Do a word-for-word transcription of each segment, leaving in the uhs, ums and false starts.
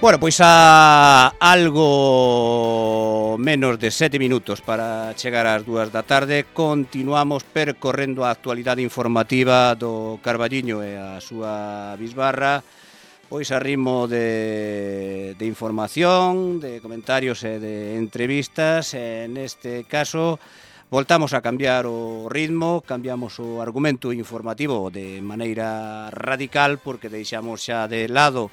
Bueno, pois a algo menos de sete minutos para chegar ás dúas da tarde continuamos percorrendo a actualidade informativa do Carballiño e a súa bisbarra, pois a ritmo de, de información, de comentarios e de entrevistas. E neste caso voltamos a cambiar o ritmo, cambiamos o argumento informativo de maneira radical, porque deixamos xa de lado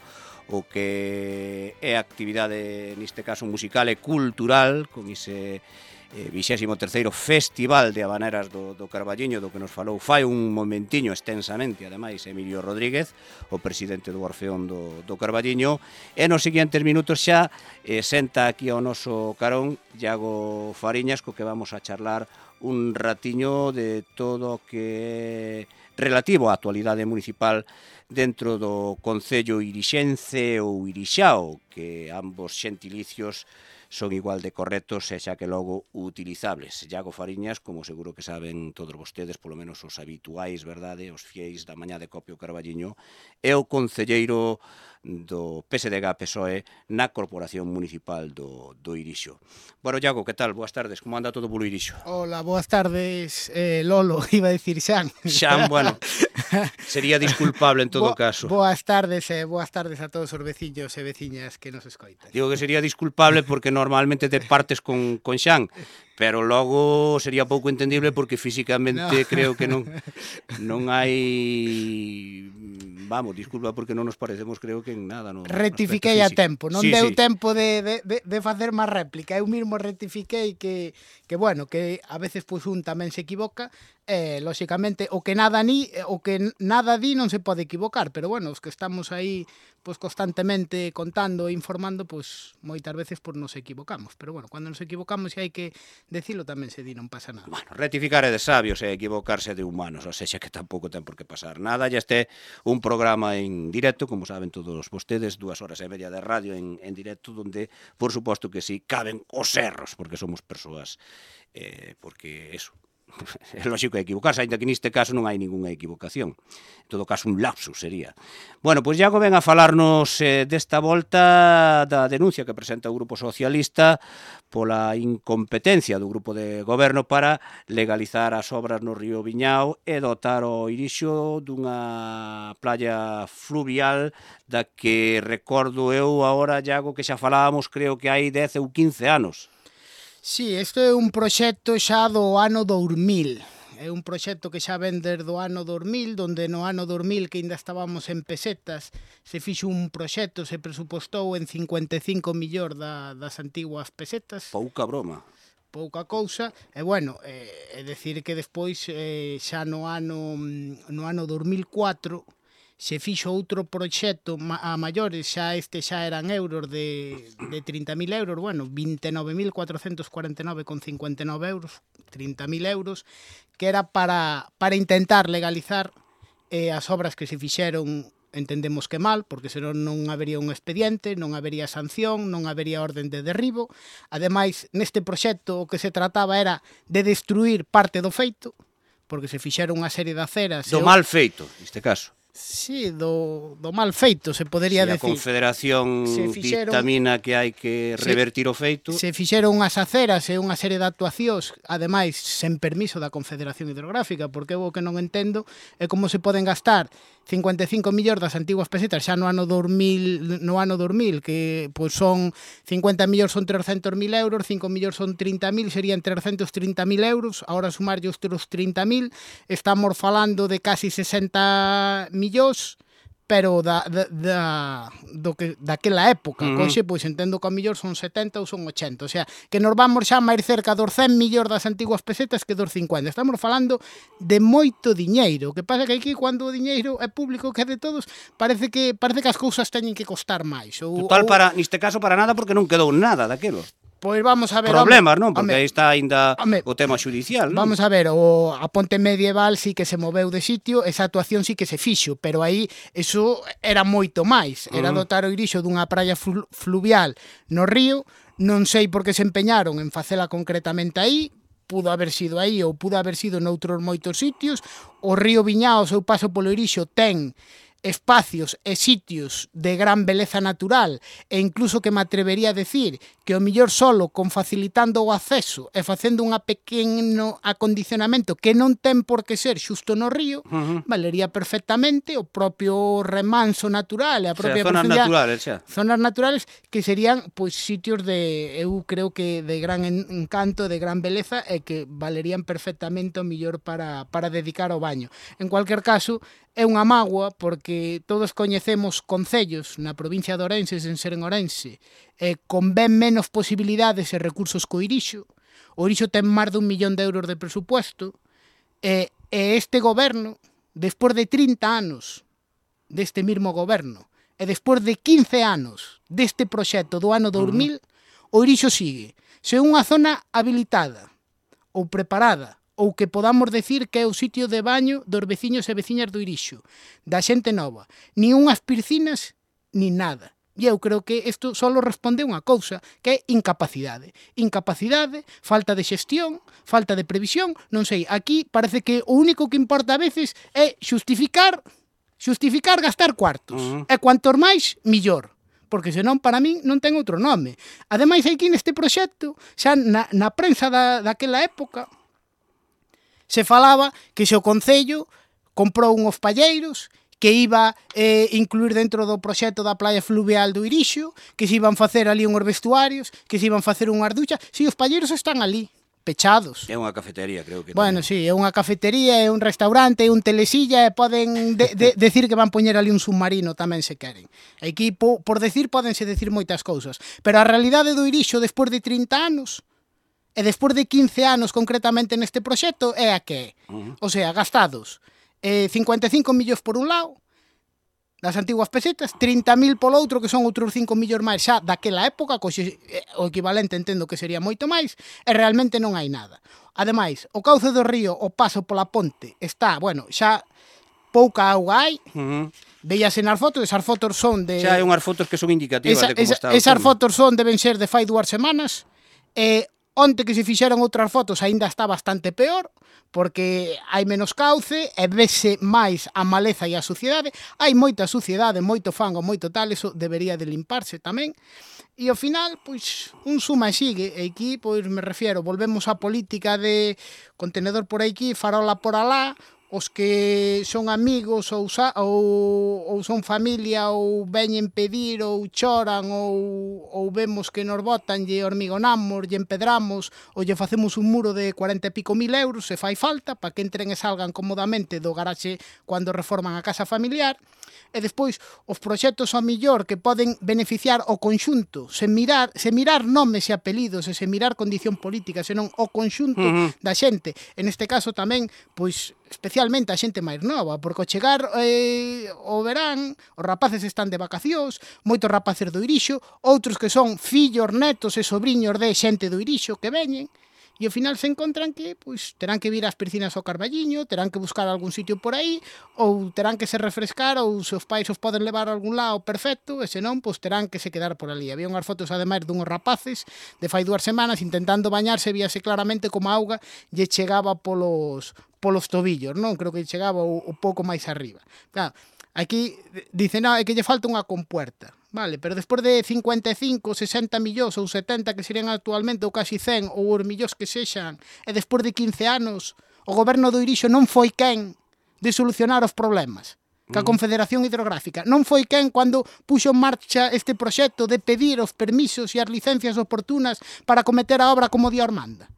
o que é a actividade, neste caso musical e cultural, con ese eh, vixésimo terceiro Festival de Habaneras do, do Carballiño, do que nos falou fai un momentiño extensamente, ademais, Emilio Rodríguez, o presidente do Orfeón do, do Carballiño. E nos seguintes minutos xa eh, senta aquí ao noso carón Iago Fariñas, co que vamos a charlar un ratiño de todo o que é relativo á actualidade municipal dentro do Concello Irixense ou Irixao, que ambos xentilicios son igual de correctos e xa que logo utilizables. Iago Fariñas, como seguro que saben todos vostedes, polo menos os habituais, verdade, os fieis da mañá de Copio Carballiño, é o concelleiro do P S D G P S O E na Corporación Municipal do, do Irixo. Bueno, Iago, que tal? Boas tardes, como anda todo polo Irixo? Hola, boas tardes, eh, Lolo, iba a decir Xan. Xan, bueno, sería disculpable en todo Bo, caso. Boas tardes e eh, boas tardes a todos os veciños e veciñas que nos escoitan. Digo que sería disculpable porque normalmente te partes con, con Xan, pero logo sería pouco entendible porque físicamente no. Creo que non non hai... Vamos, disculpa porque non nos parecemos, creo que en nada. No, rectifiquei a tempo, non sí, deu sí. tempo de, de, de, de facer máis réplica. Eu mismo rectifiquei que, que, bueno, que a veces pois un tamén se equivoca, e, lóxicamente, o que nada ni, o que nada di non se pode equivocar, pero, bueno, os que estamos aí pois constantemente contando e informando, pois moitas veces pois nos equivocamos, pero, bueno, cando nos equivocamos e hai que decilo tamén se di, non pasa nada. Bueno, rectificar é de sabios e equivocarse de humanos, ou seja que tampouco ten por que pasar nada. Ya este un programa en directo, como saben todos vostedes, dúas horas e media de radio en, en directo, donde, por suposto que sí, caben os erros, porque somos persoas, eh, porque eso, é lógico equivocarse, ainda que neste caso non hai ningunha equivocación. En todo caso, un lapsus sería. Bueno, pois Iago ven a falarnos eh, desta volta da denuncia que presenta o Grupo Socialista pola incompetencia do Grupo de Goberno para legalizar as obras no río Viñao e dotar o Irixo dunha playa fluvial da que recordo eu agora, Iago, que xa falábamos, creo que hai dez ou quince anos. Sí, isto é un proxecto xa do ano dous mil. É un proxecto que xa ven desde o ano dous mil, donde no ano dous mil, que ainda estábamos en pesetas, se fixo un proxecto, se presupostou en cincuenta e cinco millóns da, das antiguas pesetas. Pouca broma. Pouca cousa, e bueno, é, é decir que despois eh, xa no ano, no ano dous mil cuatro se fixo outro proxecto a maiores, xa este xa eran euros de, de trinta mil euros, bueno, vinte e nove mil cuatrocentos cuarenta e nove con cincuenta e nove euros, trinta mil euros, que era para, para intentar legalizar eh, as obras que se fixeron, entendemos que mal, porque senón non habería un expediente, non habería sanción, non habería orden de derribo. Ademais, neste proxecto o que se trataba era de destruir parte do feito, porque se fixeron unha serie de aceras... Do mal feito, neste caso. Sí, do, do mal feito, se podería si decir. A Confederación se fixeron, dictamina que hai que revertir se, o feito. Se fixeron unhas aceras e unha serie de actuacións, ademais, sen permiso da Confederación Hidrográfica, porque o que non entendo é como se poden gastar cincuenta e cinco millóns das antiguas pesetas xa no ano dous mil, no ano dous mil, que pois son cincuenta millóns son trescentos mil euros, cinco millóns son trinta mil, serían trescentos trinta mil euros, agora sumarlle os trinta mil, estamos falando de casi sesenta millóns, pero da, da, da, do que, daquela época, uh-huh. Coxe, pois entendo que a millor son setenta ou son ochenta, o sea, que nos vamos xa máis cerca dos cen millóns das antiguas pesetas que dos cincuenta, estamos falando de moito diñeiro, o que pasa que aquí, cando o diñeiro é público, que é de todos, parece que parece que as cousas teñen que costar máis. Ou, Total, ou... para, neste caso, para nada, porque non quedou nada daquilo. Pois vamos a ver... Problemas, non? Porque home, aí está ainda home, o tema xudicial, non? Vamos a ver, o, a ponte medieval sí que se moveu de sitio, esa actuación sí que se fixo, pero aí eso era moito máis. Era uh-huh. dotar o Irixo dunha praia flu, fluvial no río, non sei por que se empeñaron en facela concretamente aí, pudo haber sido aí ou pudo haber sido noutros moitos sitios. O río Viñao, o seu paso polo Irixo, ten espacios e sitios de gran beleza natural, e incluso que me atrevería a decir que o millor solo con facilitando o acceso e facendo un pequeno acondicionamento que non ten por que ser xusto no río, uh -huh. valería perfectamente o propio remanso natural e a propia o sea, zonas naturales, xa. Zonas naturales que serían pois sitios de, eu creo que de gran encanto, de gran beleza e que valerían perfectamente o millor para, para dedicar ao baño. En cualquier caso, é unha mágoa porque todos coñecemos concellos na provincia de Ourense, sen ser en Ourense, eh, con ben menos posibilidades e recursos co Irixo. O Irixo ten máis dun millón de euros de presupuesto e, e este goberno, despois de trinta anos deste mismo goberno e despois de quince anos deste proxecto do ano dos mil, uh-huh. o Irixo sigue. Se unha zona habilitada ou preparada ou que podamos decir que é o sitio de baño dos veciños e veciñas do Irixo, da xente nova, ni unhas piscinas, ni nada. E eu creo que isto só responde unha cousa, que é incapacidade. Incapacidade, falta de xestión, falta de previsión, non sei, aquí parece que o único que importa a veces é xustificar, xustificar gastar cuartos. Uh -huh. E cuantos máis, millor. Porque senón para min non ten outro nome. Ademais, aquí neste proxecto, xa na, na prensa da, daquela época, se falaba que se o Concello comprou unhos palleiros que iba eh, incluir dentro do proxecto da playa fluvial do Irixo, que se iban facer ali unhos vestuarios, que se iban facer unhas duchas. Si, os palleiros están ali, pechados. É unha cafetería, creo que. Bueno, si, sí, é unha cafetería, é un restaurante, é un telesilla, e poden de, de, decir que van poñer ali un submarino tamén se queren. Aquí, po, por decir, podense decir moitas cousas. Pero a realidade do Irixo, despois de trinta anos, e despois de quince anos concretamente neste proxecto, é a que é. Uh -huh. O sea, gastados eh, cincuenta e cinco millóns por un lado, das antiguas pesetas, trinta mil polo outro, que son outros cinco millóns máis xa daquela época, co, o equivalente entendo que sería moito máis, e realmente non hai nada. Ademais, o cauce do río, o paso pola ponte, está, bueno, xa pouca auga hai, uh -huh. veíase nas fotos, esas fotos son de... Xa hai unhas fotos que son indicativas esa, de como esa, está o Esas tema. fotos son, deben ser de fai dúas semanas, e onte que se fixeron outras fotos aínda está bastante peor, porque hai menos cauce e vese máis a maleza e a suciedade. Hai moita suciedade, moito fango, moito tal, eso debería de limparse tamén. E ao final, pois, un suma e sigue. E aquí, pois, me refiero, volvemos á política de contenedor por aquí, farola por alá, os que son amigos ou, ou, ou son familia ou veñen pedir ou choran ou, ou vemos que nos botan lle hormigonamos, lle empedramos ou lle facemos un muro de cuarenta e pico mil euros se fai falta para que entren e salgan cómodamente do garaxe cando reforman a casa familiar. E despois os proxectos ao millor que poden beneficiar o conxunto, sen mirar, sen mirar nomes e apelidos e sen mirar condición política, senón o conxunto uh -huh. da xente. En este caso tamén, pois, especialmente a xente máis nova, porque ao chegar eh, o verán, os rapaces están de vacacións, moitos rapaces do Irixo, outros que son fillos, netos e sobriños de xente do Irixo que veñen, e ao final se encontran que pois, terán que vir ás piscinas ao Carballiño, terán que buscar algún sitio por aí, ou terán que se refrescar, ou se os pais os poden levar a algún lado perfecto, e senón, pois terán que se quedar por ali. Había unhas fotos, ademais, dunhos rapaces de fai dúas semanas intentando bañarse, víase claramente como a auga lle chegaba polos, polos tobillos, non? Creo que chegaba o, o pouco máis arriba. Claro, aquí dicen, no, é que lle falta unha compuerta. Vale, pero despois de cincuenta e cinco, sesenta millóns ou setenta que serían actualmente ou casi cen ou os millóns que sexan, e despois de quince anos o goberno do Irixo non foi quen de solucionar os problemas que a Confederación Hidrográfica non foi quen cando puxo en marcha este proxecto de pedir os permisos e as licencias oportunas para cometer a obra como Dios manda.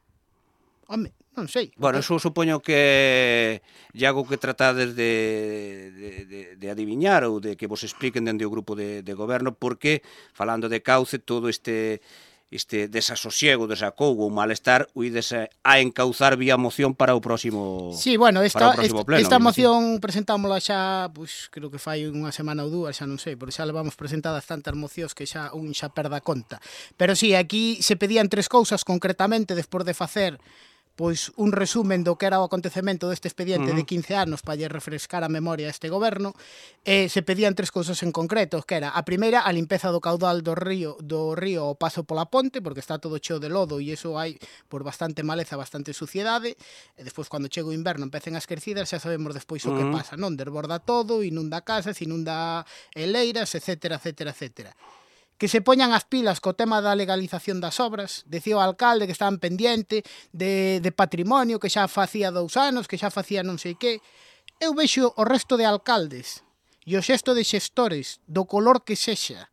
Home, non sei. Bueno, eso supoño que é algo que tratades de, de, de, de adiviñar ou de que vos expliquen dende o grupo de, de goberno, porque, falando de cauce, todo este este desasosiego, desacougo ou malestar, uides a encauzar vía moción para o próximo Sí, bueno, esta, esta, pleno, esta moción presentámola xa, pois, creo que fai unha semana ou dúas, xa non sei, porque xa levamos presentadas tantas mocións que xa un xa perda conta. Pero sí, aquí se pedían tres cousas concretamente despois de facer pois un resumen do que era o acontecemento deste expediente Uh-huh. de quince anos para lle refrescar a memoria a este goberno, e se pedían tres cousas en concreto, que era a primeira, a limpeza do caudal do río do río ao paso pola ponte, porque está todo cheo de lodo e iso hai por bastante maleza, bastante suciedade, e despois cando chega o inverno empecen as crecidas, xa sabemos despois o que Uh-huh. pasa, non? Desborda todo, inunda casas, inunda eleiras, etcétera, etcétera, etcétera. Que se poñan as pilas co tema da legalización das obras. Decía o alcalde que estaban pendiente de, de patrimonio, que xa facía dous anos, que xa facía non sei que. Eu vexo o resto de alcaldes e o xesto de xestores do color que sexa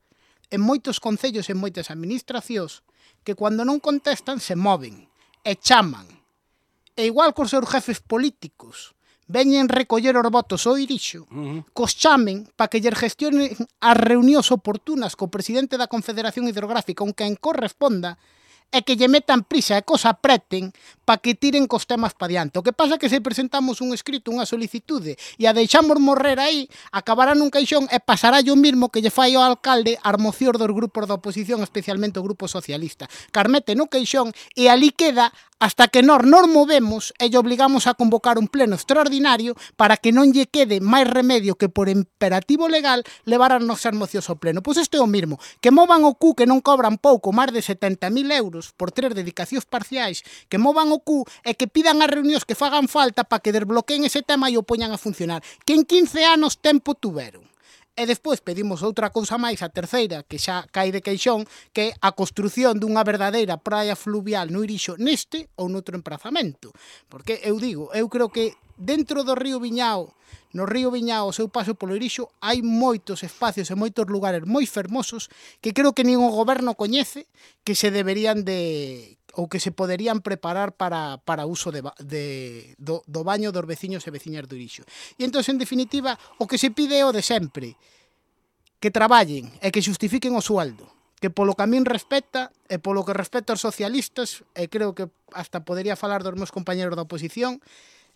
en moitos concellos e en moitas administracións que cando non contestan se moven e chaman. E igual cos seus jefes políticos veñen recoller os votos ao Irixo, Uh-huh. cos chamen para que lle gestionen as reunións oportunas co presidente da Confederación Hidrográfica, con quen corresponda, e que lle metan prisa e cos apreten para que tiren cos temas pa diante. O que pasa é que se presentamos un escrito, unha solicitude, e a deixamos morrer aí, acabará nun caixón e pasará o mismo que lle fai ao alcalde as mocións dos grupos da oposición, especialmente o Grupo Socialista. Carmete no caixón e ali queda hasta que nós nos movemos e lle obligamos a convocar un pleno extraordinario para que non lle quede máis remedio que por imperativo legal levar as nosas mocións ao pleno. Pois isto é o mismo, que movan o cu que non cobran pouco, máis de setenta mil euros por tres dedicacións parciais, que movan o cu e que pidan as reunións que fagan falta para que desbloqueen ese tema e o poñan a funcionar, que en quince anos tempo tuveron. E despois pedimos outra cousa máis, a terceira, que xa cae de queixón, que é a construción dunha verdadeira praia fluvial no Irixo neste ou noutro emprazamento. Porque eu digo, eu creo que dentro do río Viñao, no río Viñao, o seu paso polo Irixo, hai moitos espacios e moitos lugares moi fermosos que creo que nin o goberno coñece, que se deberían de ou que se poderían preparar para, para uso de, de, do, do baño dos veciños e veciñas do Irixo. E entón, en definitiva, o que se pide é o de sempre, que traballen e que justifiquen o sueldo, que polo que a min respecta e polo que respecta aos socialistas, e creo que hasta podería falar dos meus compañeros da oposición,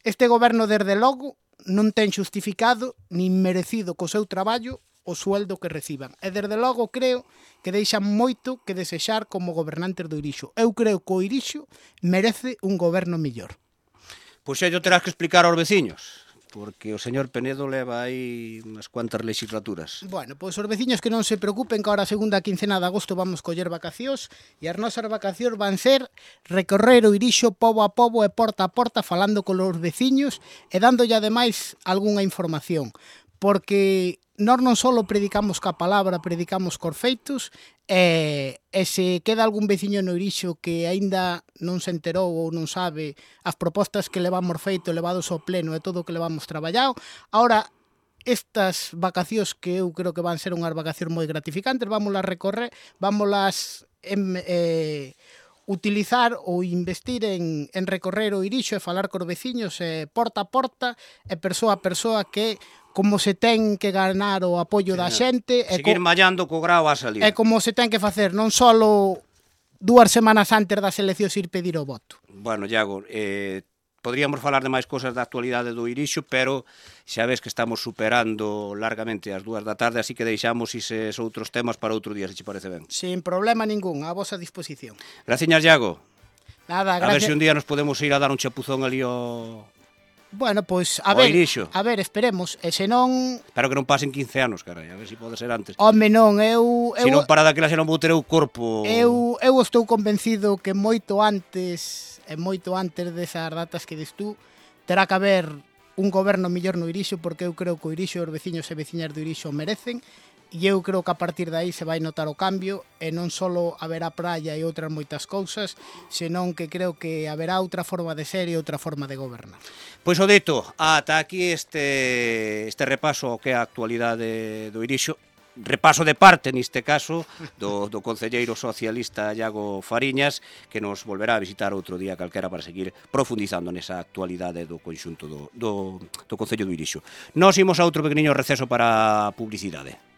este goberno, desde logo, non ten justificado nin merecido co seu traballo o sueldo que reciban. E desde logo creo que deixan moito que desexar como gobernantes do Irixo. Eu creo que o Irixo merece un goberno mellor. Pois ello terás que explicar aos veciños, porque o señor Penedo leva aí unhas cuantas legislaturas. Bueno, pois os veciños que non se preocupen, que ahora a segunda quincena de agosto vamos coller vacacións e as nosas vacacións van ser recorrer o Irixo pobo a pobo e porta a porta falando con os veciños e dándolle ademais algunha información, porque nós non só predicamos ca palabra, predicamos cos feitos, e, e se queda algún veciño no Irixo que aínda non se enterou ou non sabe as propostas que levamos feito, levados ao pleno e todo o que levamos traballado, ahora estas vacacións que eu creo que van ser unhas vacacións moi gratificantes, vámolas recorrer, vámolas em, eh, utilizar ou investir en, en recorrer o Irixo e falar cos veciños eh, porta a porta e persoa a persoa, que como se ten que ganar o apoio da xente e Seguir co, mallando co grao a salir. e como se ten que facer non só dúas semanas antes das eleccións ir pedir o voto. Bueno, Iago, eh, podríamos falar de máis cosas da actualidade do Irixo, pero xa ves que estamos superando largamente as dúas da tarde, así que deixamos ises outros temas para outro día, se che parece ben. Sin problema ningún, a vosa disposición. Graciñas, Iago. Nada, A ver gracias. se un día nos podemos ir a dar un chapuzón ali ao... Bueno, pois, a O ver, Irixo. a ver, esperemos, e se non... Espero que non pasen quince anos, carai, a ver se pode ser antes. Home, non, eu... Se eu... non para daquela xa non vou ter o corpo... Eu, eu estou convencido que moito antes e moito antes desas datas que dis tú terá que haber un goberno mellor no Irixo, porque eu creo que o Irixo, os veciños e veciñas do Irixo merecen, e eu creo que a partir de aí se vai notar o cambio, e non só haberá praia e outras moitas cousas, senón que creo que haberá outra forma de ser e outra forma de gobernar. Pois o dito, ata aquí este, este repaso ao que é a actualidade do Irixo, repaso de parte, neste caso, do, do concelleiro socialista Iago Fariñas, que nos volverá a visitar outro día calquera para seguir profundizando nesa actualidade do conxunto do, do, do Concello do Irixo. Nos imos a outro pequeniño receso para publicidade.